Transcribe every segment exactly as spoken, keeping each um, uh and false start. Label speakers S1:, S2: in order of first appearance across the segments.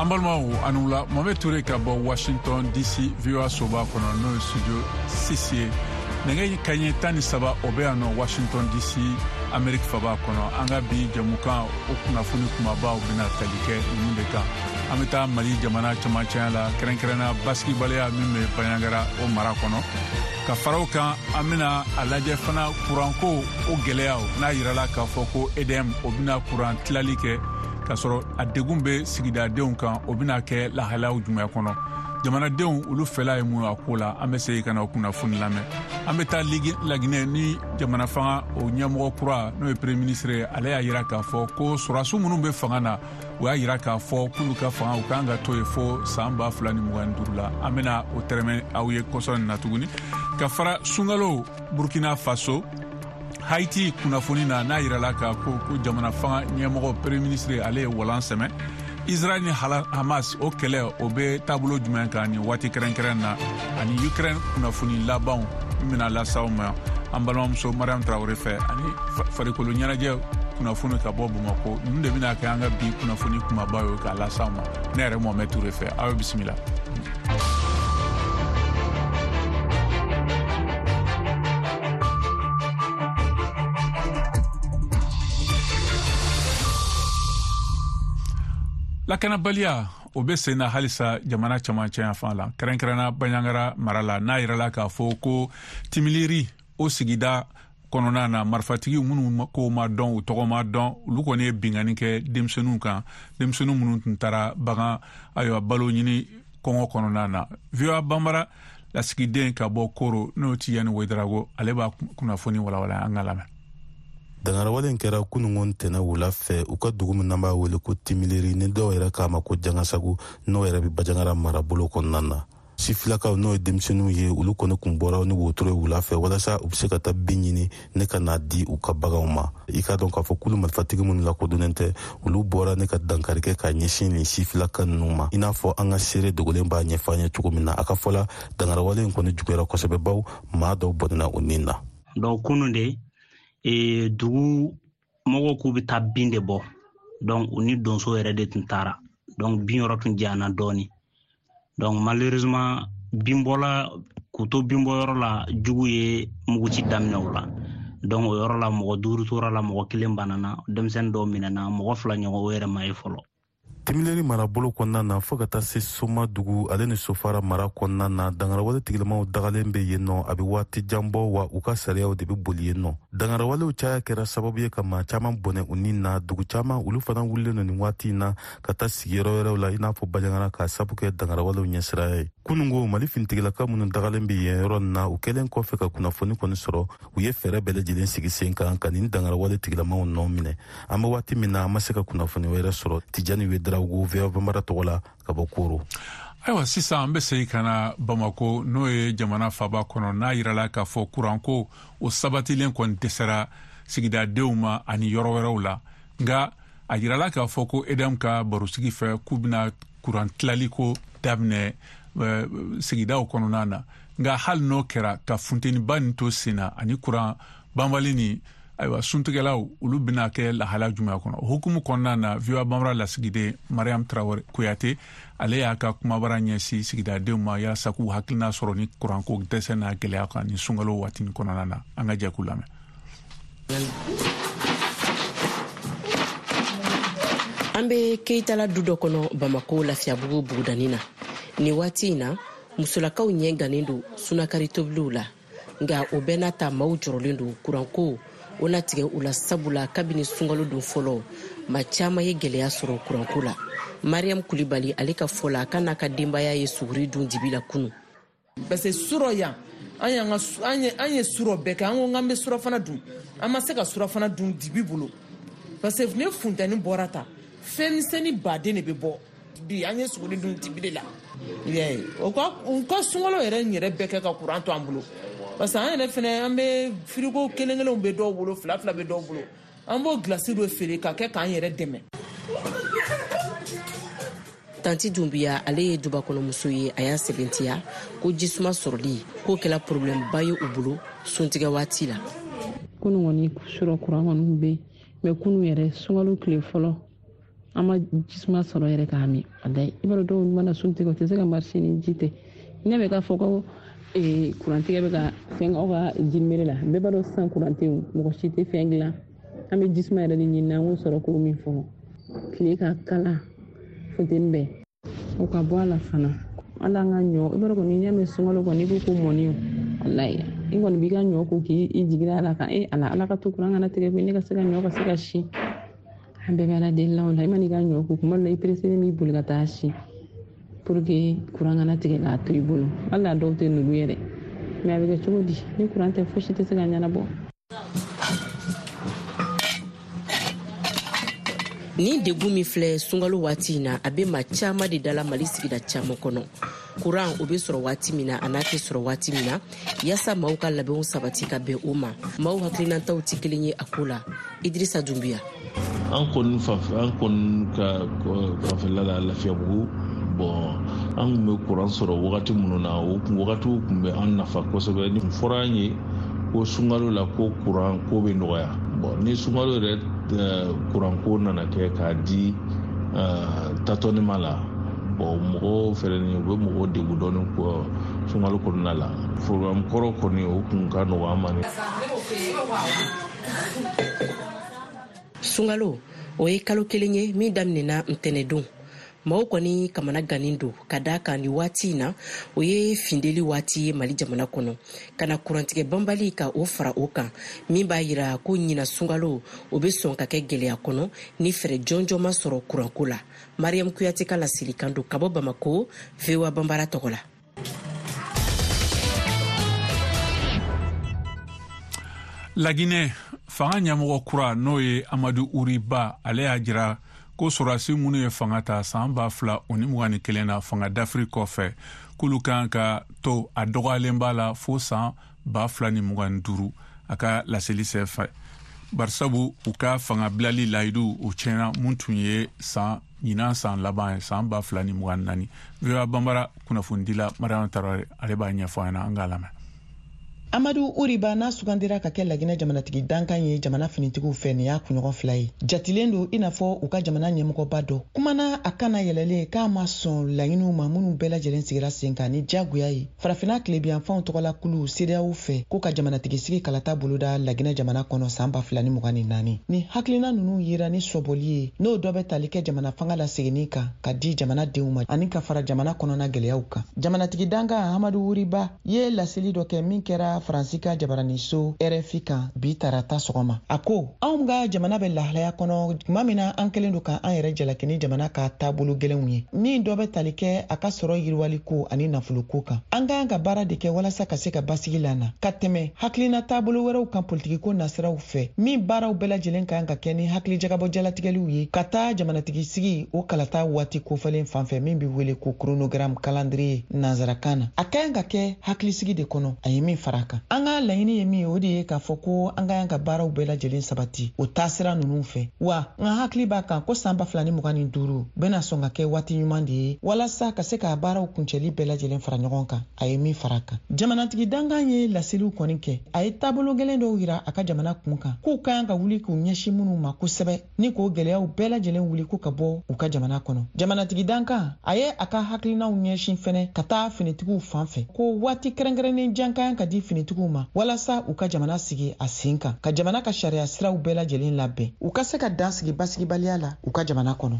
S1: An balimaw, a ni wula. Mohamed Toure ka bɔ Washington D C, V O A soba kɔnɔ, n'o ye studio six ye. Nɛgɛ kaɲɛ tan ni saba o bɛ yan nɔ Washington D C, Amerique faba kɔnɔ. An ka bi jɛmukan o kunnafoni kumabaw bɛna tali kɛ ninnu de kan. An bɛ taa Mali jamana camancɛya la, kɛrɛnkɛrɛnna basigibaliya min bɛ Banjagara o mara kɔnɔ. Ka fara o kan, an bɛna a lajɛ fana kuranko o gɛlɛyaw, n'a yirala k'a fɔ ko E D M o bɛna kuran tilali kɛ k'a sɔrɔ a degun bɛ sigidadenw kan, o bɛna kɛ lahalayaw jumɛn kɔnɔ? Jamanadenw olu fɛla ye mun ye a ko la? An bɛ segin ka na o kunnafoni lamɛn. An bɛ taa Laginɛ ni jamana fanga o ɲɛmɔgɔ kura, n'o ye premier ministre ye. Ale y'a yira k'a fɔ ko sɔrɔdasiw minnu bɛ fanga na, u y'a yira k'a fɔ k'olu ka fanga u kan ka to yen fo san ba fila ni mugan ni duuru la. An bɛna o tɛrɛmɛ aw ye kɔsɔ nin na tuguni. Ka fara sunkalo Burkina Faso, Haiti kunnafoni na, n'a yirala k'a ko ko jamana fanga ɲɛmɔgɔ premier ministre ale ye walan sɛmɛ. Israel ni Hamas o kɛlɛ o bɛ taabolo jumɛn kan nin waati kɛrɛnkɛrɛn na? Ani Ukraine kunnafoni labanw min bɛna las'aw ma an balimamuso Mariam Traoré fɛ, ani farikolo ɲɛnajɛ kunnafoni ka bɔ Bamako. Ninnu de bɛna kɛ an ka bi kunnafoni kumaba ye k'a las'aw ma ne yɛrɛ Mohamed Touré fɛ. Aw bisimila. Lakanabaliya o bɛ sen na halisa jamana camancɛ yan la, kɛrɛnkɛrɛnna Banjagara mara la, n'a yirala k'a fɔ ko Timiliri o sigida kɔnɔna na, marifatigi minnu ko ma dɔn, u tɔgɔ ma dɔn, olu kɔni ye binkanni kɛ denmisɛnninw kan, denmisɛnnin minnu tun taara bagan, ayiwa, balo ɲini kɔngɔ kɔnɔna na. V O A Banbara lasigiden ka bɔ Koro, n'o Tiyani Wedarago, ale b'a kunnafoni walawala. An ka lamɛn.
S2: Dangarawale kɛra kunungo ntɛnɛ wula fɛ u ka dugu min n'an b'a wele ko Timileri, ni dɔw yɛrɛ k'a ma ko Jangasagu, n'o yɛrɛ bɛ Bajangara marabolo kɔnɔna na. Sifilakaw, n'o ye denmisɛnninw ye, olu kɔni kun bɔra ni wotoro ye wula fɛ walasa u be se ka taa bin ɲini ne ka n'a di u ka baganw ma. I k'a dɔn k'a fɔ kulu marifatigi minnu lakodɔnnen tɛ, olu bɔra ne ka dankari kɛ k'a ɲɛsin nin sifilaka ninnu ma, i n'a fɔ an ka seere dogolen b'a ɲɛfɔ an ye cogo min na. A ka fɔla, dangarawale in kɔni juguyara kosɛbɛ, baw maa dɔw bɔnɛna u nin na.
S3: Donc kunun de e, dugu mɔgɔw k'u bɛ taa bin de bɔ. Donc u ni donso yɛrɛ de tun taara. Donc bin yɔrɔ tun janyana dɔɔni. Donc malheureusement, binbɔla k'u to binbɔyɔrɔ la, jugu ye muguci daminɛ o la. Donc o yɔrɔ la, mɔgɔ duuru tora la, mɔgɔ kelen banana, denmisɛnnin dɔw minɛna, mɔgɔ fila ɲɔgɔn o yɛrɛ ma ye fɔlɔ.
S2: Timileri marabolo kɔnɔna na, fɔɔ ka taa se Soma dugu ale ni Sofara mara kɔnɔna na, dangarawale tigilamaw dagalen bɛ yen nɔ a bɛ waati jan bɔ, wa u ka sariyaw de bɛ boli yen nɔ. Dangarawalew caya kɛra sababu ye ka maa caman bɔnɛ u ni na. Dugu caman, olu fana wulilen don nin waati in na ka taa sigiyɔrɔ wɛrɛw la, i n'a fɔ Bajangara, k'a sabu kɛ dangarawalew ɲɛsiraya ye. Kunungo, Mali finitigilaka minnu dagalen bɛ yen yɔrɔ nin na, u kɛlen kɔfɛ ka kunnafoni kɔni sɔrɔ, u ye fɛɛrɛ bɛɛ lajɛlen sigi sen kan ka nin dangarawale tigilamaw nɔ minɛ. An bɛ waati min na, an ma se ka kunnafoni wɛrɛ sɔrɔ. Tijani Wedarawogo, V O A Banbara tɔgɔ la ka bɔ Koro.
S1: Ayiwa, sisan an bɛ segin ka na Bamako, n'o ye jamana faba kɔnɔ, n'a yirala k'a fɔ kuranko o sabatilen kɔni dɛsɛra sigidadenw ma ani yɔrɔ wɛrɛw la. Nka a yirala k'a fɔ ko E D M ka barosigi fɛ, k'u bɛna kuran tilali ko daminɛ sigidaw kɔnɔna na. Nka hali n'o kɛra, ka funteniba nin to sen na ani kuran banbali nin, ayiwa, suntigɛlaw olu bɛna kɛ lahala jumɛn kɔnɔ? O hukumu kɔnɔna na, V O A Banbara lasigiden Mariam Traoré Kuyate, ale y'a ka kumabara ɲɛsin sigidadenw ma yaasa k'u hakilina sɔrɔ ni kuranko dɛsɛ n'a gɛlɛya kan ni sunkalo waati nin kɔnɔna na. An ka jɛ k'u lamɛn.
S4: An be Keyitala du dɔ kɔnɔ Bamako Lafiyabugu bugudani na. Nin waati in na, musolakaw ɲɛ gannen don sunakari tobiliw la. Nka o bɛɛ n'a ta, maaw jɔrɔlen don kuranko o na tigɛ u la, sabula kabini sunkalo don fɔlɔ, maa caman ye gwɛlɛya sɔrɔ kuranko la. Mariam Kulibali, ale ka fɔ la, k'a n'a ka denbaya ye suguri dun dibi la kunu.
S5: Parce que surɔ yan, an y'an ka an ye an ye surɔ bɛɛ kɛ. An ko k'an bɛ surɔfana dun, an ma se ka surɔfana dun dibi bolo, parce que ni funtɛni bɔra ta, fɛn misɛnnin baden de bɛ bɔ. Bi an ye suguri dun dibi de la. O ka u ka sunkalo yɛrɛ yɛrɛ bɛɛ kɛ ka kuran to an bolo, parce que an yɛrɛ fɛnɛ, an bɛ firigo kelen kelenw bɛ dɔw bolo, fila fila bɛ dɔw bolo, an b'o gilasi dɔ feere ka kɛ k'an yɛrɛ dɛmɛ.
S4: Tanti Dunbiya, ale ye dubakɔnɔmuso ye. A y'a sɛbɛntiya ko jisuma sɔrɔli k'o kɛla problɛmba ye u bolo suntigɛ waati la.
S6: Kunu kɔni surɔ kuran kɔni bɛ yen, mɛ kunu yɛrɛ, sunkalo tile fɔlɔ, An ma jisuma sɔrɔ yɛrɛ k'a min. Walayi, i b'a dɔn dɔw mana sun tigɛ, u tɛ se ka marcher ni ji tɛ. Ne bɛ k'a fɔ ko kurantigɛ bɛ ka fɛn aw ka jimere la, bɛɛ b'a dɔn sisan kuran tɛ yen, mɔgɔ si tɛ fɛn dilan. An bɛ jisuma yɛrɛ de ɲini, an k'o sɔrɔ k'o min fɔlɔ. Tile ka kala, funteni bɛɛ. O ka bɔ a la fana. Hali an ka ɲɔ, i b'a dɔn kɔni n'i y'a mɛn sunkalo kɔni, i ko ko mɔni. Walayi, i kɔni b'i ka ɲɔ ko k'i jigin a la kan, e ala ala ka to kuran kana tigɛ koyi, ne ka se ka ɲɔ ka se ka si. An bɛɛ bɛ ala deli la o la. I man'i ka ɲɔ ko kuma dɔ la, i pereselen b'i boli ka taa si pour que kuran kana tigɛ k'a to i bolo. Hali a dɔw tɛ nugu yɛrɛ, mais a bɛ kɛ cogo di ni kuran tɛ, fosi tɛ se ka ɲɛnabɔ.
S4: Nin degun min filɛ sunkalo waati in na, a bɛ maa caman de dala Mali sigida caman kɔnɔ. Kuran o bɛ sɔrɔ waati min na, a n'a tɛ sɔrɔ waati min na, yaasa maaw ka labɛnw sabati ka bɛn o ma. Maaw hakilinataw tɛ kelen ye a ko la. Idrissa Doumbia.
S7: An kɔni fanfɛ, an kɔni ka fanfɛla la Lafiyabugu, bon an kun bɛ kuran sɔrɔ wagati minnu na, o wagatiw kun bɛ an nafa kosɛbɛ. Ni fɔra an ye ko sunkalo la ko kuran ko bɛ nɔgɔya, bon ni sunkalo yɛrɛ kuran ko nana kɛ k'a di tâtonnement la, bon mɔgɔw fɛnɛ ni u bɛ mɔgɔw degun dɔɔni sunkalo kɔnɔna la. Programme kɔrɔ kɔni o kun ka nɔgɔ an ma.
S4: Sunkalo o ye kalo kelen ye min daminɛna ntɛnɛdon. Maaw kɔni kamana gannen don ka da kan ni waati in na, o ye findeli waati ye Mali jamana kɔnɔ. Ka na kurantigɛ banbali ka o fara o kan, min b'a yira ko ɲina sunkalo o bɛ sɔn ka kɛ gɛlɛya kɔnɔ ni fɛɛrɛ jɔnjɔn ma sɔrɔ kuranko la. Mariam Kuyate ka laselikan don ka bɔ Bamako, V O A Banbara tɔgɔ la.
S1: Laginɛ fanga ɲɛmɔgɔ kura n'o ye Amadu Uriba, ale y'a jira ko sɔrɔdasi minnu ye fanga ta san ba fila o ni mugan ni kelen na fanga dafiri kɔfɛ, k'olu kan ka to a dɔgɔyalen b'a la fo san ba fila ni mugan ni duuru a ka laseli senfɛ. Barisabu u ka fanga bilali layidu o tiɲɛna mun tun ye san ɲinan san laban ye san ba fila ni mugan ni naani. V O A Banbara kunnafonidila Mariam Tarawele ale b'a ɲɛfɔ an ɲɛna, an k'a lamɛn.
S8: Amadu Uriba n'a sugandira ka kɛ Laginɛ jamanatigi dankan ye jamana finitigiw fɛ, nin y'a kunɲɔgɔn fila ye. Jatilen don i n'a fɔ u ka jamana ɲɛmɔgɔba dɔ. Kumana a kana yɛlɛlen k'a ma sɔn laɲiniw ma minnu bɛɛ lajɛlen sigira sen kan ni diyagoya ye. Farafinna tilebiyanfanw tɔgɔla kulu CEDEAO fɛ ko ka jamanatigi sigi kalata boloda Laginɛ jamana kɔnɔ san ba fila ni mugan ni naani. Ni hakilina ninnu yera ni sɔbɔli ye, n'o dɔ bɛ tali kɛ jamana fanga laseginni kan ka di jamana denw ma ani ka fara jamana kɔnɔna gɛlɛyaw kan. Jamanatigi dankan Amadu Uriba ye laseli dɔ kɛ min kɛra Faransi ka jabaraniso R F I kan bi tarata sɔgɔma. A ko anw ka jamana bɛ lahalaya kɔnɔ tuma min na an kɛlen don k'an yɛrɛ jalaki ni jamana ka taabolo gɛlɛnw ye min dɔ bɛ tali kɛ a ka sɔrɔ yiriwaliko ani nafoloko kan. An ka kan ka baara de kɛ walasa ka se ka basigi lana ka tɛmɛ hakilina taabolo wɛrɛw kan politikiko nasiraw fɛ min baaraw bɛɛ lajɛlen kan ka kɛ ni hakilijagabɔ jalatigɛliw ye ka taa jamanatigi sigi o kalata waati kofɔlen fan fɛ min bɛ wele ko chronogramme calendrier nansarakan na. A ka kan ka kɛ hakilisigi de kɔnɔ, a ye min fara kan. An ka laɲini ye min ye, o de ye k'a fɔ ko an ka kan ka baaraw bɛɛ lajɛlen sabati o taasira ninnu fɛ. Wa n ka hakili b'a kan ko san ba fila ni mugan ni duuru bɛna sɔn ka kɛ waati ɲuman de ye walasa ka se k'a baaraw kuncɛli bɛɛ lajɛlen fara ɲɔgɔn kan, a ye min fara kan. Jamanatigi dankan ye laseliw kɔni kɛ, a ye taabolo gɛlɛn dɔw yira a ka jamana kun kan k'u ka kan ka wuli k'u ɲɛsin minnu ma kosɛbɛ ni k'o gɛlɛyaw bɛɛ lajɛlen wuli ko ka bɔ u ka jamana kɔnɔ. Jamanatigi dankan a ye a ka hakilinaw ɲɛsin fɛnɛ ka taa finitigiw fan fɛ ko waati kɛrɛnkɛrɛnnen jan ka kan ka di finitigiw ma walasa u ka jamana sigi a sen kan, ka jamana ka sariya siraw bɛɛ lajɛlen labɛn, u ka se ka dan sigi basigibaliya la u ka jamana kɔnɔ.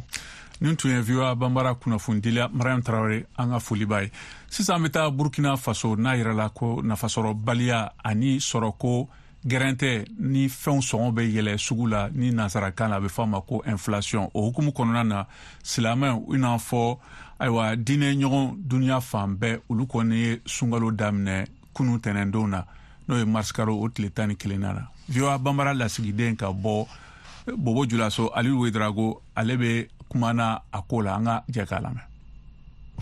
S1: Nin tun ye V O A Banbara kunnafonidila Mariam Tarawele, an ka foli b'a ye. Sisan an bɛ taa Burkina Faso, n'a yirala ko nafasɔrɔbaliya ani sɔrɔko gɛrɛntɛ ni fɛnw sɔngɔ bɛ yɛlɛ sugu la, ni nansarakan la a bɛ fɔ a ma ko inflation. O hukumu kɔnɔna na, silamɛw i n'a fɔ ayiwa diinɛ ɲɔgɔn dunuya fan bɛɛ, olu kɔni ye sunkalo daminɛ kunu tɛnɛndon na, n'o ye marisikalo o tile tan ni kelen na. V O A Banbara lasigiden ka bɔ Bobo Julaso, Aliyu Wedrago, ale bɛ kuma na a ko la, an ka jɛ k'a lamɛn.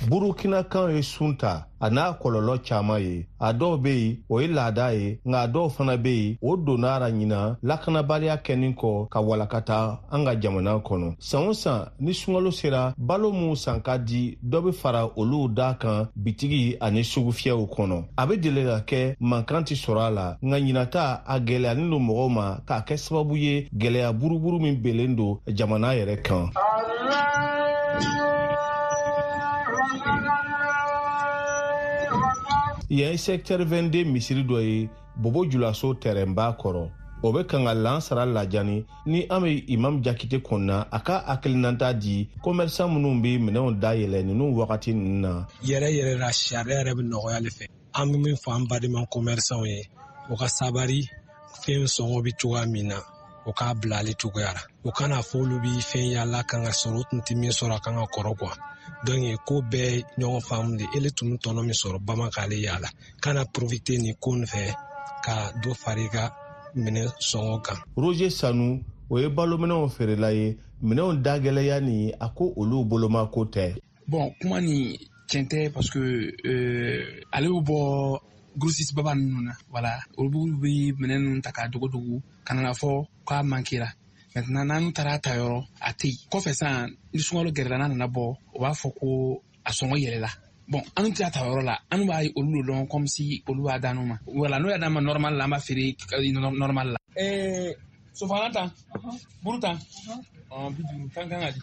S9: Burukina kan ye sun ta a n'a kɔlɔlɔ caman ye. A dɔw bɛ yen o ye laada ye, nka a dɔw fana bɛ yen o donna a ɲina lakanabaliya kɛnin kɔ ka walakata an ka jamana kɔnɔ. San o san ni sunkalo sera, balo minnu san ka di, dɔ bɛ fara olu da kan bitigi ani sugufiyɛw kɔnɔ. A bɛ deli ka kɛ mankan tɛ sɔrɔ a la, nka ɲinata a gɛlɛyalen don mɔgɔw ma k'a kɛ sababu ye gɛlɛya buruburu min belen don jamana yɛrɛ kan. Yan ye secteur vingt-deux misiri dɔ ye Bobo Julaso tɛrɛnba kɔrɔ. O bɛ kan ka lansara lajani ni an bɛ Imam Jakite kɔnɔna a ka hakilinata di commerçant minnu bɛ minɛnw dayɛlɛ ninnu wagati ninnu na.
S10: Yɛrɛ yɛrɛ la sariya yɛrɛ bɛ nɔgɔya ale fɛ. An bɛ min fɔ an badenma commerçant ye, o ka sabari, fɛn sɔngɔ bɛ cogoya min na, o k'a bila ale cogoya la. O kana fɔ olu bɛ fɛn yaala kan ka sɔrɔ, o tun tɛ min sɔrɔ a kan ka kɔrɔ quoi. Donc ko bɛɛ ɲɔgɔn faamu de, ele tun bɛ tɔnɔ min sɔrɔ bama k'ale yaala. Kana profiter nin ko nin fɛ ka dɔ fara i ka minɛ sɔngɔ kan.
S9: Roger Sanu, o ye balominɛnw feerela ye, minɛnw dagɛlɛya ni a ko olu boloma ko tɛ.
S11: Bon, kuma nin tiɲɛ tɛ parce que euh, ale bɛ bɔ grossiste baba ninnu na, voilà, olu bɛ minɛn ninnu ta k'a dogo dogo ka na fɔ k'a manquera. Maintenant n'an taara ta yɔrɔ a tɛ yen. Kɔfɛ sisan ni sunkalo gɛrɛla n'a nana bɔ, o b'a fɔ ko a sɔngɔ yɛlɛla. Bon, an tɛ ta yɔrɔ la, an b'a olu dɔn comme si olu b'a d'an ma. Voilà, n'o y'a d'an ma normal la, an b'a feere normal la. Eh, sofana tan, buru tan, bi duuru tan kan ka di.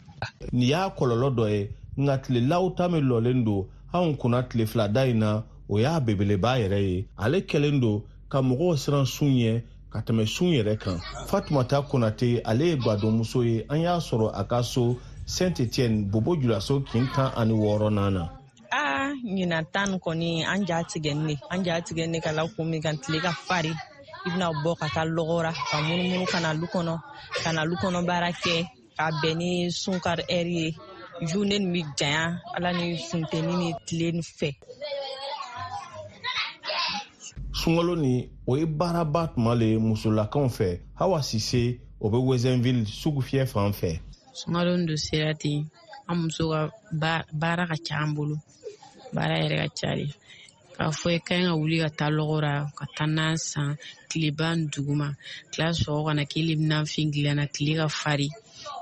S9: Nin y'a kɔlɔlɔ dɔ ye, nka tile law ta min lɔlen don anw kunna tile fila da in na, o y'a belebeleba yɛrɛ ye. Ale kɛlen don ka mɔgɔw siran sun ɲɛ ka tɛmɛ sun yɛrɛ kan. Fatumata Konate, ale ye gadonmuso ye, an y'a sɔrɔ a ka so Saint-Étienne Bobo Julaso kin tan ani wɔɔrɔnan na.
S12: Aa, ɲinan tan kɔni an ja tigɛ ne an ja tigɛ ne ka la kun min kan, tile ka fari, i bɛna bɔ ka taa lɔgɔ ra ka munumunu ka na lu kɔnɔ, ka na lu kɔnɔ baara kɛ ka bɛn ni sunkari ɛri ye. Journée nin bɛ janya ala ni funteni ni tile nin fɛ.
S9: Sunkalo ni o ye baaraba tuma le musolakaw fɛ. Hawa Sise, o bɛ Wezenville sugufiyɛ fan fɛ.
S6: Sunkalo nin don sera ten, an muso ka baara ka ca an bolo, baara yɛrɛ ka ca de. K'a fɔ i ka ɲi ka wuli ka taa lɔgɔ ra ka taa nan san tileba ni duguma, tila sɔgɔ ka na k'ele bɛ nanfin dilan na, tile ka fari,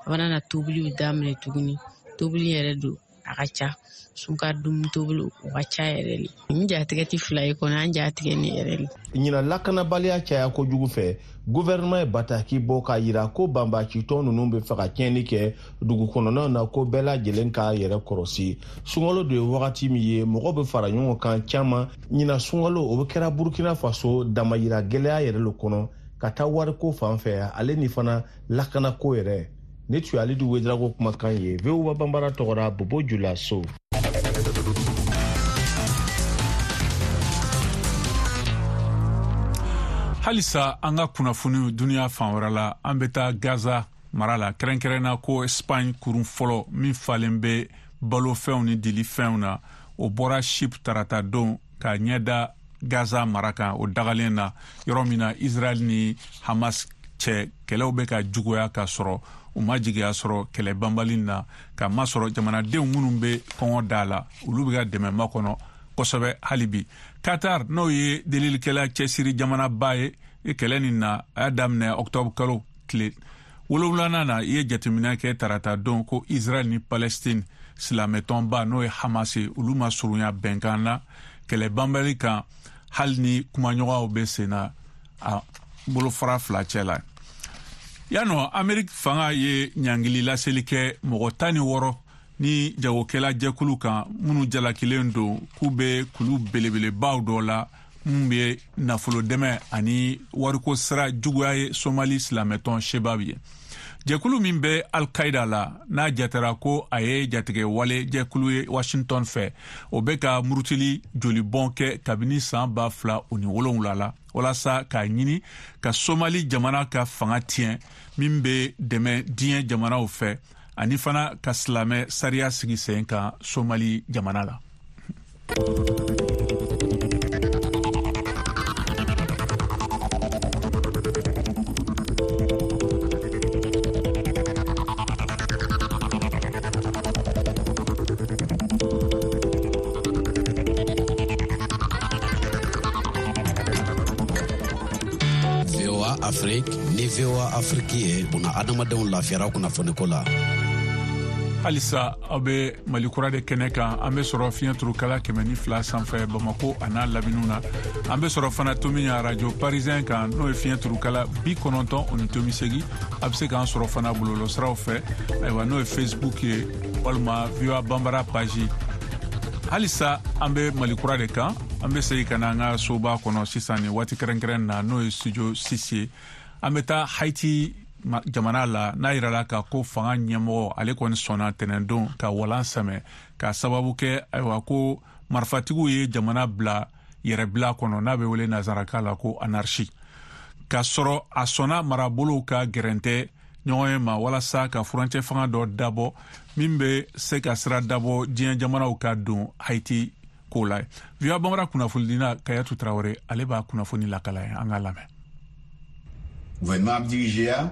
S6: a bɛna na tobiliw daminɛ tuguni. Tobili yɛrɛ don a ka ca, sunkari dumuni tobili o ka ca yɛrɛ le. N jatigɛ tɛ fila ye kɔni, an jatigɛ ni yɛrɛ le.
S9: Ɲinan lakanabaliya caya kojugu fɛ, gouvernement ye bataki bɔ k'a yira ko banbacitɔn ninnu bɛ fɛ ka tiɲɛni kɛ dugu kɔnɔnaw na, ko bɛɛ lajɛlen k'a yɛrɛ kɔrɔsi. Sunkalo de ye wagati min ye mɔgɔ bɛ fara ɲɔgɔn kan caman. Ɲinan sunkalo o bɛ kɛra Burkina Faso damayira gɛlɛya yɛrɛ le kɔnɔ ka taa wariko fan fɛ, ale ni fana lakanako yɛrɛ. Ne tun ye Alidu Wedrago kumakan ye V O A Banbara tɔgɔ la Bobo Julaso.
S1: Halisa an ka kunnafoniw duniya fan wɛrɛ la, an bɛ taa Gaza mara la, kɛrɛnkɛrɛnna ko Espagne kurun fɔlɔ min falen bɛ balofɛnw ni dilifɛnw na, o bɔra Chypre tarata don ka ɲɛda Gaza mara kan, o dagalen na yɔrɔ min na Israël ni Hamas cɛ kɛlɛw bɛ ka juguya ka sɔrɔ u ma jigiya sɔrɔ kɛlɛ banbali na, ka masɔrɔ jamanadenw minnu bɛ kɔngɔ da la, olu bɛ ka dɛmɛ makɔnɔ kosɛbɛ hali bi. Qatar, n'o ye delilikɛla cɛsiri jamanaba ye kɛlɛ nin na, a y'a daminɛ octobre kalo tile wolonwulanan na, i ye jateminɛ kɛ tarata don ko Israël ni Palestine silamɛtɔnba n'o ye Hamas ye, olu ma surunya bɛnkan na kɛlɛ banbali kan, hali ni kumaɲɔgɔnw bɛ sen na a bolofara fila cɛ la. Yanɔ, Amerique fanga ye ɲangili laseli kɛ mɔgɔ tan ni wɔɔrɔ ni jagokɛla jɛkulu kan minnu jalakilen don k'u bɛ kulu belebelebaw dɔ la minnu bɛ nafolo dɛmɛ ani wariko sira juguya ye Somali silamɛtɔn Shebab ye. Jɛkulu min bɛ Al-Qaida la, n'a jatera ko a ye jatigɛ wale jɛkulu ye Washington fɛ, o bɛ ka murutili jolibɔn kɛ kabini san ba fila o ni wolonwula la, walasa k'a ɲini ka Somali jamana ka fanga tiɲɛ min bɛ dɛmɛ diɲɛ jamanaw fɛ, ani fana ka silamɛ sariya sigi sen kan Somali jamana la.
S13: V O A Afrique ni V O A Afrique ye buna adamadenw lafiyara kunnafoniko la.
S1: Halisa aw bɛ Mali kura de kɛnɛ kan, an bɛ sɔrɔ fiɲɛ turukala kɛmɛ ni fila sanfɛ Bamako a n'a laminiw na. An bɛ sɔrɔ fana tomi radio parisien kan, n'o ye fiɲɛ turukala bi kɔnɔntɔn o ni tomi segi. A bɛ se k'an sɔrɔ fana bɔlɔlɔsiraw fɛ, ayiwa n'o ye Facebook ye walima V O A Banbara page. Halisa an bɛ Mali kura de kan. An bɛ segin ka na an ka soba kɔnɔ sisan nin waati kɛrɛnkɛrɛn na, n'o ye studio six ye. An bɛ taa Haiti jamana la, n'a yirala ka ko fanga ɲɛmɔgɔ ale kɔni sɔnna tɛnɛndon ka walan sɛmɛ ka sababu kɛ ayiwa ko marifatigiw ye jamana bila yɛrɛbila kɔnɔ, n'a bɛ wele nansarakan la ko anarchie, k'a sɔrɔ a sɔnna marabolow ka gɛrɛntɛ ɲɔgɔn ye ma walasa ka furancɛ fanga dɔ dabɔ min bɛ se ka sira dabɔ diɲɛ jamanaw ka don Haiti ko la. V O A Bambara kunnafonidila Kayatu Tarawele ale b'a kunnafoni lakala ye, an k'a lamɛn.
S14: Gouvernement ap dirije a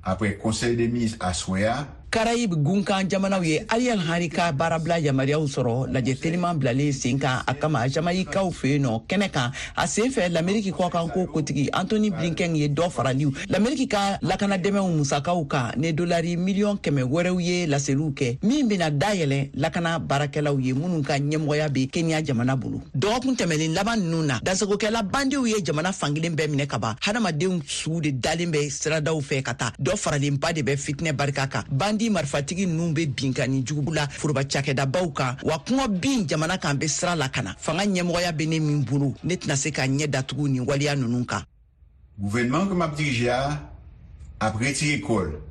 S14: après conseil des ministres aswè a.
S15: Karayib gunkan jamanaw ye Ariel Henry ka baarabila yamaruyaw sɔrɔ lajɛ teliman bilalen sen kan a kama Jamaïkaw fɛ yen nɔ kɛnɛ kan. A sen fɛ l'Amérique kɔkanko kotigi Anthony Blinken ye dɔ faraliw l'Amérique ka lakana dɛmɛw musakaw kan ni dolari miliyɔn kɛmɛ wɛrɛw ye laseliw kɛ min bɛna dayɛlɛ lakana baarakɛlaw ye minnu ka ɲɛmɔgɔya bɛ Kenya jamana bolo. Dɔgɔkun tɛmɛnen laban ninnu na, dansagokɛla bandiw ye jamana fankelen bɛɛ minɛ ka ban. Hadamadenw suw de dalen bɛ siradaw fɛ ka taa. Dɔ faralenba de bɛ fitinɛ barika kan. Bandi marifatigi ninnu bɛ binkanni jugu la foroba cakɛdabaw kan, wa kɔngɔ bin jamana kan bɛ sira lakana. Fanga ɲɛmɔgɔya bɛ ne min bolo, ne tɛna se ka ɲɛ datugu nin waleya ninnu kan.
S14: Gouvernement que m'a dirigé a ap retiré kol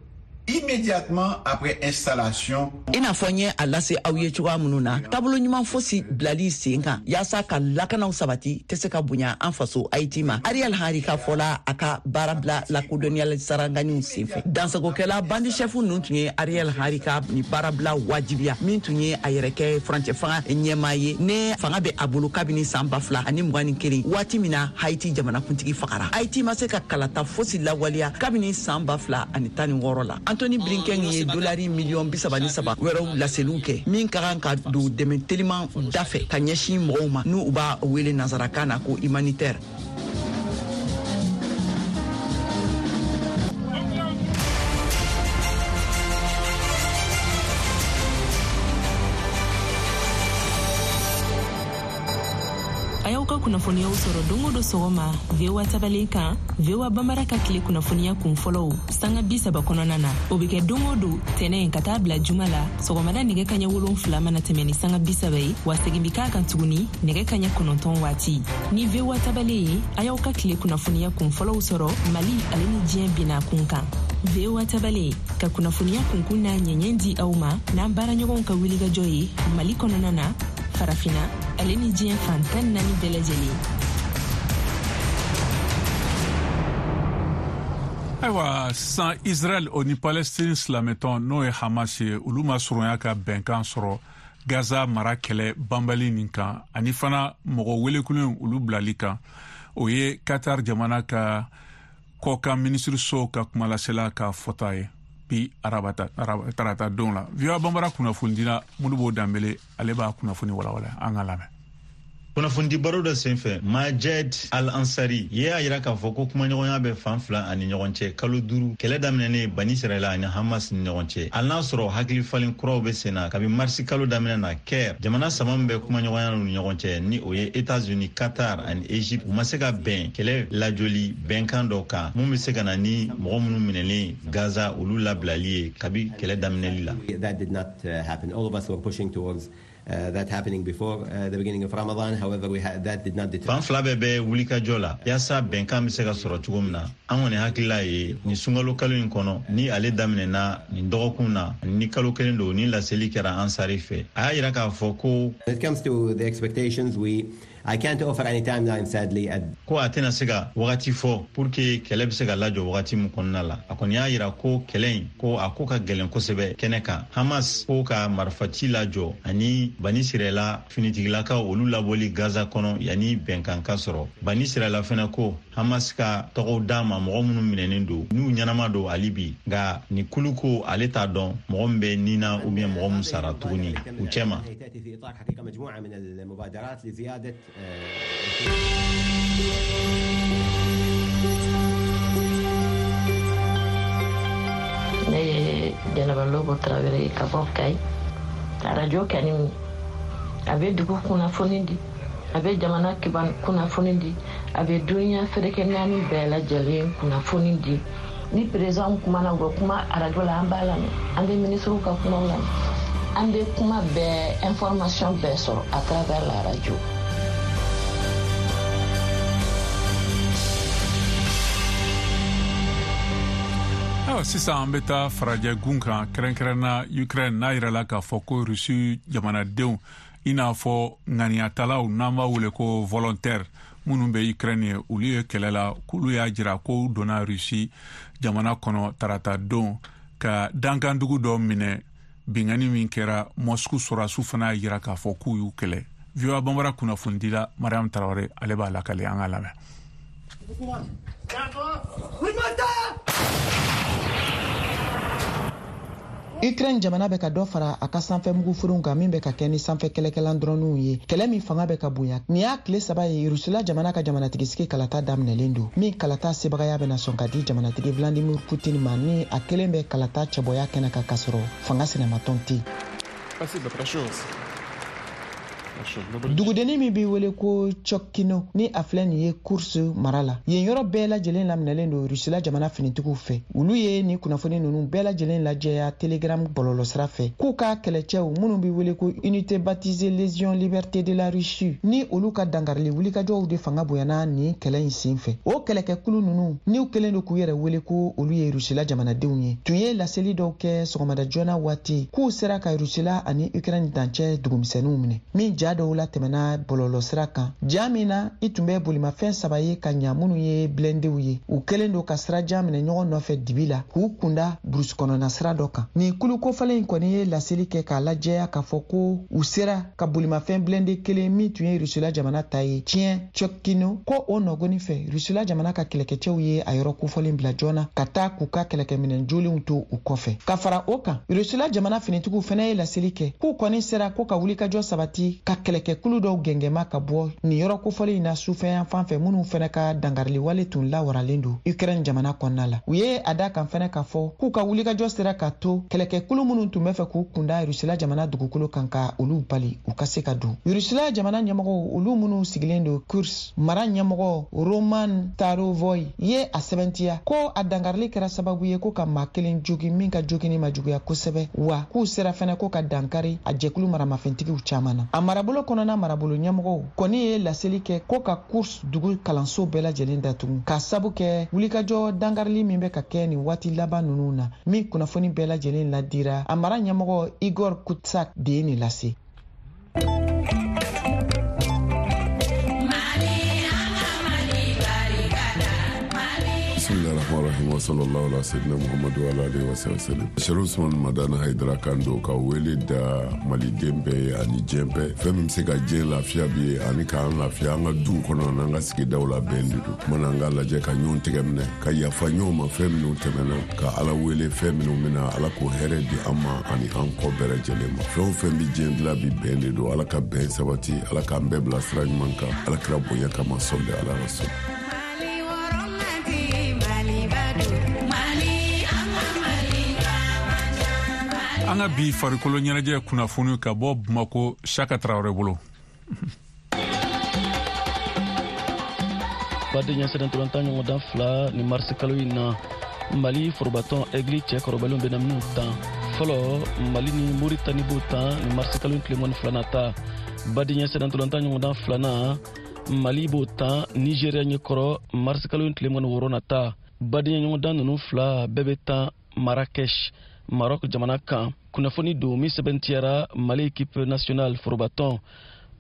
S14: immédiatement après installation.
S15: I n'a fɔ n ye a lase aw ye cogoya minnu na, taabolo ɲuman fosi bilali sen kan yaasa ka lakanaw sabati tɛ se ka bonya an faso Haiti ma. Ariel Henry ka fɔla a ka baara bila lakodɔnniyali saranganiw senfɛ. Dansagokɛla bandi chef ninnu tun ye Ariel Henry ka ni baara bila wajibiya min tun ye a yɛrɛ kɛ furancɛ fanga ɲɛmaa ye ne fanga bɛ a bolo kabini san ba fila ani mugan ni kelen, waati min na Haiti jamanakuntigi fagara. Haiti ma se ka kalata fosi lawaleya kabini san ba fila ani tan ni wɔɔrɔ la. Anthony Blinken ye dolari miliyɔn bi saba ni saba wɛrɛw laseliw kɛ min ka kan ka don dɛmɛ teliman dafɛ ka ɲɛsin mɔgɔw ma n'u b'a wele nansarakan na ko humanitaire.
S6: A y'aw ka kunnafoniyaw sɔrɔ don o don sɔgɔma V O A tabalen kan, V O A Bambara ka tile kunnafoniya kun fɔlɔw sanga bi saba kɔnɔna na. O bɛ kɛ don o don tɛnɛn ka taa bila juma la sɔgɔmada nɛgɛ kaɲɛ wolonfila mana tɛmɛ ni sanga bi saba ye, wa segin bɛ k'a kan tuguni nɛgɛ kaɲɛ kɔnɔntɔn waati. Ni V O A tabalen ye, a y'aw ka tile kunnafoniya kun fɔlɔw sɔrɔ Mali ale ni diɲɛ binna kun kan. V O A tabalen ka kunnafoniya kunkun n'a ɲɛɲɛ di aw ma n'an baaraɲɔgɔnw ka wulikajɔ ye Mali kɔnɔna na, Farafina ale ni diɲɛ fan tan naani bɛɛ lajɛlen.
S1: Ayiwa, sisan Israel o ni Palestine silamɛtɔn n'o ye Hamas ye, olu ma surunya ka bɛnkan sɔrɔ Gaza mara kɛlɛ banbali nin kan ani fana mɔgɔ welekulen olu bilali kan. O ye Qatar jamana ka kɔkan minisiriso ka kumalasela ka fɔta ye bi arabata tarata don la. V O A Bambara kunnafonidila Modibo Danbele ale b'a kunnafoni walawala, an ka lamɛn.
S16: Kunnafonidi baro dɔ senfɛ, Majed Al-Ansari ye y'a yira k'a fɔ ko kumaɲɔgɔnya bɛ fan fila ani ɲɔgɔn cɛ kalo duuru kɛlɛ daminɛnen Bani Israɛla ani Hamas ni ɲɔgɔn cɛ. Hali n'a sɔrɔ hakili falen kuraw bɛ sen na kabi marisi kalo daminɛ na, Caire jamana saba min bɛ kumaɲɔgɔnya ni ɲɔgɔn cɛ ni o ye États-Unis, Qatar ani Égypte, u ma se ka bɛn kɛlɛ lajɔli bɛnkan dɔ kan mun bɛ se ka na ni mɔgɔ minnu minɛlen Gaza olu labilali ye kabi kɛlɛ daminɛli la.
S17: That did not happen. All of us were pushing towards Uh, that happening before uh, the beginning of Ramadan. However, we had, that did not deter.
S16: Fan fila bɛɛ bɛ wulikajɔ la yaasa bɛnkan bɛ se ka sɔrɔ cogo min na. An kɔni hakilila ye nin sunkalo kalo in kɔnɔ ni ale daminɛna nin dɔgɔkun na ni kalo kelen don ni laseli kɛra Ansari fɛ. A y'a yira k'a fɔ ko
S17: When it comes to the expectations, we I can't offer any timeline, sadly. At...
S16: Ko a tɛna se ka wagati fɔ pour que kɛlɛ bɛ se ka lajɔ wagati min kɔnɔna la. A kɔni y'a yira ko kɛlɛ in ko a ko ka gɛlɛn kosɛbɛ kɛnɛ kan. Hamas ko ka marifaci lajɔ ani Bani Israɛla finitigilakaw olu labɔli Gaza kɔnɔ yanni bɛnkan ka sɔrɔ. Bani Israɛla fɛnɛ ko Hamas ka tɔgɔw d'a ma mɔgɔ minnu minɛnen don n'u ɲɛnama don hali bi, nka ni kulu ko ale t'a dɔn mɔgɔ min bɛ nin na ou bien mɔgɔ min sara tuguni u cɛ ma.
S18: Ne ye Jɛnɛba Lobo Tarawele ye ka bɔ Kayi. Arajo kɛni a bɛ dugu kunnafoni di, a bɛ jamana kiban kunnafoni di, a bɛ duniya ferekɛ naani bɛɛ lajɛlen kunnafoni di. Ni président kumana u bɛ kuma arajo la, an b'a lamɛn, an bɛ minisiriw ka kumaw lamɛn, an bɛ kuma bɛɛ information bɛɛ sɔrɔ à travers la radio.
S1: Ayiwa, sisan an bɛ taa farajɛ gun kan, kɛrɛnkɛrɛnna Ukraine. N'a yirala k'a fɔ ko Rusi jamanadenw, i n'a fɔ ŋaniyatalaw n'an b'a wele ko volontaire, minnu bɛ Ukraine ye, olu ye kɛlɛ la, k'olu y'a jira ko donna Rusi jamana kɔnɔ tarata don ka dankandugu dɔ minɛ. Binkanni min kɛra, Moscou sɔrɔdasiw fana y'a jira k'a fɔ k'u y'u kɛlɛ. V O A Banbara kunnafonidila Mariam Tarawele, ale b'a lakale, an k'a lamɛn.
S8: Ukraine jamana bɛ ka dɔ fara a ka sanfɛ mugufuruw kan min bɛ ka kɛ ni sanfɛ kɛlɛkɛlan dɔrɔninw ye, kɛlɛ min fanga bɛ ka bonya. Nin y'a tile saba ye Rusila jamana ka jamanatigisigi kalata daminɛlen don, min kalata sebagaya bɛna sɔn ka di jamanatigi Vladimir Putin ma, ni a kelen bɛ kalata cɛbɔya kɛnɛ kan k'a sɔrɔ fanga sinamatɔn tɛ yen. Dugudennin min b'i wele ko Tchokino, ni a filɛ nin ye Kursk mara la, yen yɔrɔ bɛɛ lajɛlen laminɛlen don Rusila jamana finitigiw fɛ. Olu ye nin kunnafoni ninnu bɛɛ lajɛlen lajɛya Telegram bɔlɔlɔsira fɛ, k'u ka kɛlɛcɛw minnu b'i wele ko Unité baptisée Légion Liberté de la Russie, ni olu ka dankarili wulikajɔw de fanga bonyana nin kɛlɛ in sen fɛ. O kɛlɛkɛkulu ninnu, n'u kɛlen don k'u yɛrɛ wele ko olu ye Rusila jamanadenw ye, tun ye laseli dɔw kɛ sɔgɔmada joona waati k'u sera ka Rusila ani Ukraine dancɛ dugumisɛnninw minɛ, min ja dɔw la tɛmɛna bɔlɔlɔsira kan. Ja min na i tun bɛ bolimafɛn saba ye ka ɲa minnu ye blɛndew ye, u kɛlen don ka sirajan minɛ ɲɔgɔn nɔfɛ dibi la k'u kunda burusi kɔnɔna sira dɔ kan. Nin kulu kofɔlen in kɔni ye laseli kɛ k'a lajɛya k'a fɔ ko u sera ka bolimafɛn blɛnde kelen min tun ye Rusila jamana ta ye tiɲɛ Tchokino, ko o nɔgɔni fɛ Rusila jamana ka kɛlɛkɛcɛw ye a yɔrɔ kofɔlen bila joona ka taa k'u ka kɛlɛkɛminɛn jolenw to u kɔfɛ. Ka fara o kan, Rusila jamana finitigiw fɛnɛ ye laseli kɛ k'u kɔni sera ko ka wulikajɔ sabati ka kɛlɛkɛkulu dɔw gɛngɛma ka bɔ nin yɔrɔ kofɔlen in na sufɛyan fan fɛ, minnu fɛnɛ ka dankariliwale tun lawaralen don Ukraine jamana kɔnɔna la. U ye a da kan fɛnɛ k'a fɔ k'u ka wulikajɔ sera ka to kɛlɛkɛkulu minnu tun bɛ fɛ k'u kunda Rusila jamana dugukolo kan ka olu bali u ka se ka don. Rusila jamana ɲɛmɔgɔw, olu minnu sigilen don Kursk, mara ɲɛmɔgɔ Roman Starovoy ye a sɛbɛntiya ko a dankarili kɛra sababu ye ko ka maa kelen jogin min ka jogini ma juguya kosɛbɛ, wa k'u sera fɛnɛ ko ka dankari a jɛkulu maramafɛntigiw caman na. A marabolo kɔnɔna marabolo ɲɛmɔgɔw kɔni ye laseli kɛ ko ka Kursk dugu kalanso bɛɛ lajɛlen datugu k'a sabu kɛ wulikajɔ dankarili min bɛ ka kɛ nin waati laban ninnu na, min kunnafoni bɛɛ lajɛlen ladira. A mara ɲɛmɔgɔ Igor Kutsak de ye nin lase.
S19: Bismillahirrahmanirrahim wa sallallahu ala sayyidina Muhammadu wa ala alihi wa sallam. Sherif Usman Madani Haidara kan don ka wele da maliden bɛɛ ye ani diɲɛ bɛɛ. Fɛn min bɛ se ka diɲɛ lafiya bi ye ani k'an lafiya an ka duw kɔnɔ n'an ka sigidaw la, bɛn de don. Kumana an ka lajɛ ka ɲɔgɔn tɛgɛ minɛ, ka yafa ɲɔgɔn ma fɛn minnu tɛmɛna, ka Ala wele fɛn minnu bɛna, Ala k'o hɛrɛ di an ma ani an kɔ bɛɛ lajɛlen ma. Fɛn o fɛn bɛ diɲɛ dilan bi, bɛn de don. Ala ka bɛn sabati, Ala k'an bɛɛ bila sira ɲuman kan, Ala kira bonya kama, sɔli ala rasul.
S1: An ka bi farikolo ɲɛnajɛ kunnafoni ka bɔ Bamako, Saka Tarawele bolo.
S20: Badenya sɛnɛntɔlɔntan ɲɔgɔndan fila ni marisi kalo in na, Mali forobatɔn Aigle cɛ kɔrɔbalenw bɛna minnu tan. Fɔlɔ, Mali ni Moritani b'o tan ni marisi kalo in tile mugan ni fila nata. Badenya sɛnɛntɔlɔntan ɲɔgɔndan filanan, Mali b'o tan Nigéria ɲɛkɔrɔ marisi kalo in tile mugan ni wɔɔrɔ nata. Badenya ɲɔgɔndan ninnu fila bɛɛ bɛ tan Marrakech, Maroc jamana kan. Kunnafoni don min sɛbɛntiyara Mali équipe nationale forobatɔn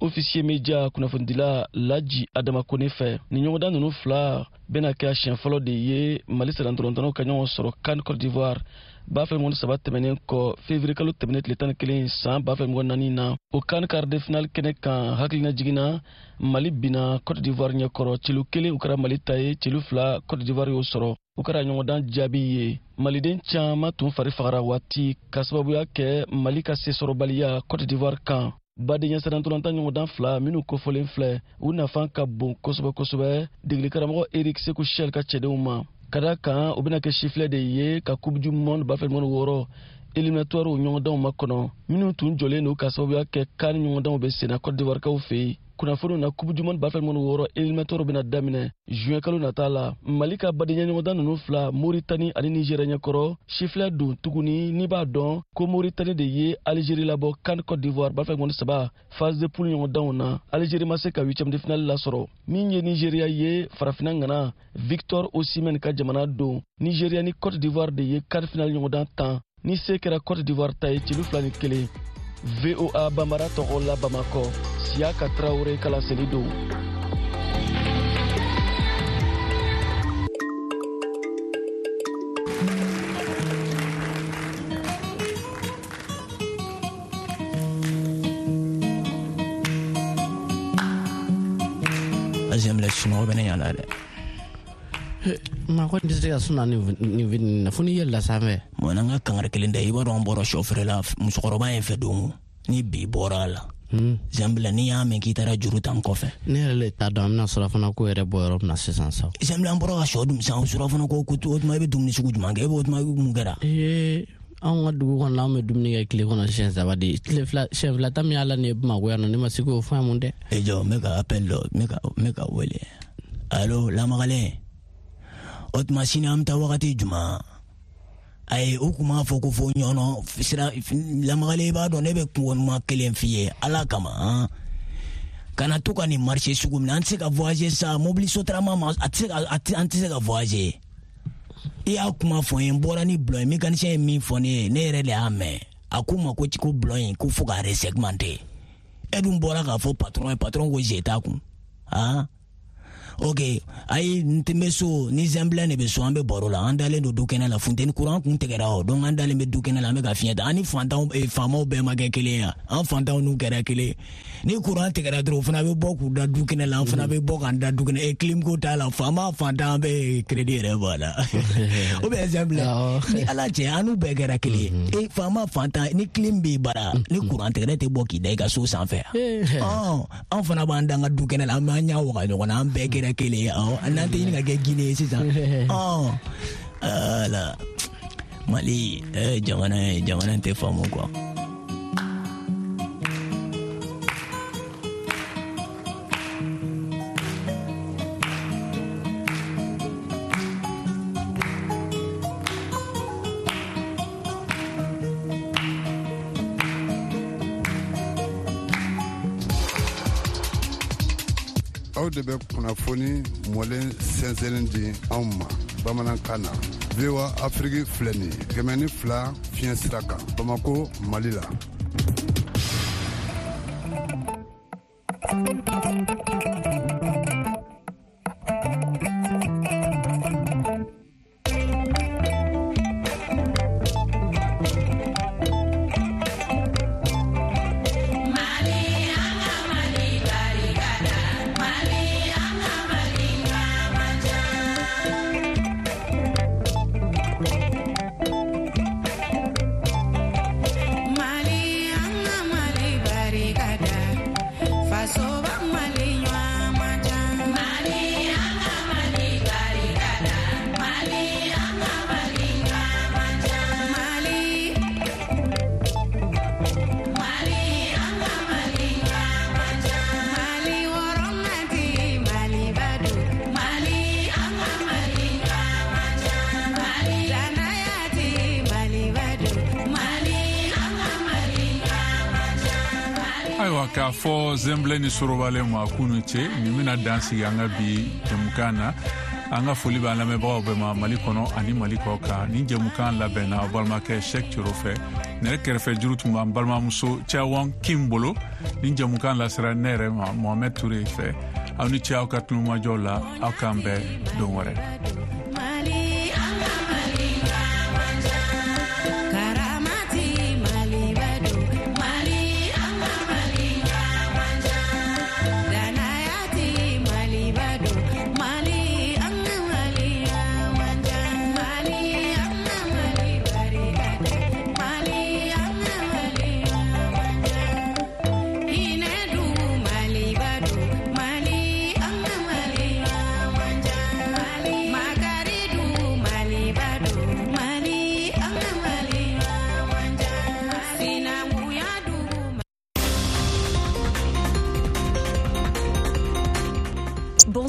S20: officier media kunnafonidila Laji Adama Kone fɛ. Ni ɲɔgɔndan ninnu fila bɛna kɛ a siɲɛ fɔlɔ de ye Mali sɛnɛntɔlɔntannaw ka ɲɔgɔn sɔrɔ CAN Côte d'Ivoire ba fila mugan ni saba tɛmɛnen kɔ, février kalo tɛmɛnen tile tan ni kelen san ba fila mugan naani na. O CAN quart de finale kɛnɛ kan, hakilina jiginna, Mali binna Côte d'Ivoire ɲɛkɔrɔ celu kelen, o kɛra Mali ta ye, celu fila Côte d'Ivoire y'o sɔrɔ. O kɛra ɲɔgɔndan jaabi ye. Maliden caman tun fari fagara waati ka sababuya kɛ Mali ka sesɔrɔbaliya Côte d'Ivoire kan. Badenya sɛnɛntɔlɔntan ɲɔgɔndan fila minnu kofɔlen filɛ, u nafa ka bon kosɛbɛ kosɛbɛ degeli karamɔgɔ Eric Sekou Chelle ka cɛdenw ma. Ka da kan u bɛna kɛ sifilɛ de ye ka Coupe du monde ba fila mugan ni wɔɔrɔ éliminatoire ɲɔgɔndanw makɔnɔ, minnu tun jɔlen don ka sababuya kɛ CAN ɲɔgɔndanw bɛ senna Côte d'Ivoire kaw fɛ yen. Kunnafoniw na Coupe du monde ba fila ni wɔɔrɔ éliminatoire bɛna daminɛ juin kalo nata la. Mali ka badenya ɲɔgɔndan ninnu fila, Mauritanie ani Nigeria ɲɛkɔrɔ, sifilɛ don tuguni. N'i b'a dɔn ko Mauritanie de ye Algérie labɔ CAN Côte d'Ivoire ba fila ni saba phase de poule ɲɔgɔndanw na, Algérie ma se ka huitième de finale lasɔrɔ. Min ye Nigeria ye, farafinna ŋana Victor Osimhen ka jamana don. Nigeria ni Côte d'Ivoire de ye quart finale ɲɔgɔndan tan ni se kɛra Côte d'Ivoire ta ye celu fila ni kelen. V O A Bambara tɔgɔ la Bamakɔ, Siyaka Traoré ka laseli don.
S21: Azemle sunɔgɔ bɛ ne ɲa la dɛ.
S22: Maa kɔni tɛ se ka suna nin fitinin na fo n'i yɛlɛla sanfɛ.
S21: Bon, n'an ka kangari kelen da, i b'a dɔn an bɔra sɔ feere la musokɔrɔba in fɛ don ni bi bɔra a la. Zambila, n'i y'a mɛn k'i taara juru ta n kɔfɛ.
S22: Ne yɛrɛ le t'a dɔn an bɛna surafana ko yɛrɛ bɔ yɔrɔ min na sisan sa.
S21: Zambila, an bɔra ka sɔ dun sisan, surafana ko ko o tuma i bɛ dumuni sugu jumɛn kɛ? E b'o tuma mun kɛra?
S22: Ee, anw ka dugu kɔnɔ anw bɛ dumuni kɛ tile kɔnɔ siɲɛ saba de. Tile fila siɲɛ fila ta min y'a la nin ye Bamakɔ yan nɔ, ne ma se k'o faamu dɛ.
S21: E jɔ, n bɛ ka appel dɔ, n bɛ ka n bɛ ka wele. Allo, lamagalen. O tuma sini an bɛ taa wagati jumɛn? Ayi, u kun b'a fɔ ko fo ɲɔnɔ sira lamagalen. I b'a dɔn ne bɛ kuma kelen f'i ye Ala kama han. Kana to ka nin marché sugu minɛ, an tɛ se ka voyager sa, mobili sotarama ma, a tɛ se ka an tɛ se ka voyager. I y'a kuma fɔ n ye, n bɔra ni bulon ye, mécanicien ye min fɔ ne ye, ne yɛrɛ de y'a mɛn. A ko n ma ko ko bulon in ko fo k'a resegmenter. E dun bɔra k'a fɔ patron ye, patron ko je t'a kun han. Ok, ayi, n tɛ bɛ so ni Zɛnbilɛ de bɛ so, an bɛ baro la, an dalen don du kɛnɛ la, funteni courant kun tigɛra o, donc an dalen bɛ du kɛnɛ la, an bɛ ka fiɲɛ ta. An ni fantanw faamaw bɛɛ ma kɛ kelen ye, an fantanw n'u kɛra kelen. Ni courant tigɛra dɔrɔn, o fana bɛ bɔ k'u da du kɛnɛ la, an fana bɛ bɔ k'an da du kɛnɛ. E clim ko t'a la, faama fantan bɛ crédit yɛrɛ bɔ a la. O bɛ Zɛnbilɛ ni Ala cɛ, an n'u bɛɛ kɛra kelen ye. E faama fantan, ni clim b'i bara, ni courant tigɛra, e tɛ bɔ k'i da i ka so sanfɛ. Ɔn, an fana b'an da an ka du kɛnɛ la, an b'an ɲɛ waga ɲɔgɔn na, an bɛɛ kɛra kelen ye. Awɔ, n'an tɛ ɲini ka kɛ Guinée ye sisan. Ɔn, ala Mali jamana ye jamana tɛ faamu quoi.
S19: Aw de bɛ kunnafoni mɔlen sɛnsɛnni di anw ma bamanankan na. V O A Afrique filɛ nin ye kɛmɛ ni fila fiɲɛ sira kan Bamako, Mali la.
S1: Ayiwa, k'a fɔ Zɛnbilɛ ni Sorobalen ma k'u ni ce, nin bɛna dan sigi an ka bi jɛmukan na. An ka foli b'an lamɛnbagaw bɛɛ ma Mali kɔnɔ ani Mali kɔ kan. Nin jɛmukan labɛnna aw balimakɛ Cheick Thioro fɛ. Nɛgɛ kɛrɛfɛ juru tun b'an balimamuso Cawan Kim bolo. Nin jɛmukan lasera ne yɛrɛ ma Mohamed Touré fɛ. Aw ni ce aw ka tulomajɔw la, aw k'an bɛn don wɛrɛ.
S23: Mali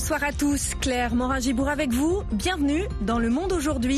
S2: Bonsoir à tous, Claire Morin-Gibourg avec vous. Bienvenue dans Le Monde aujourd'hui.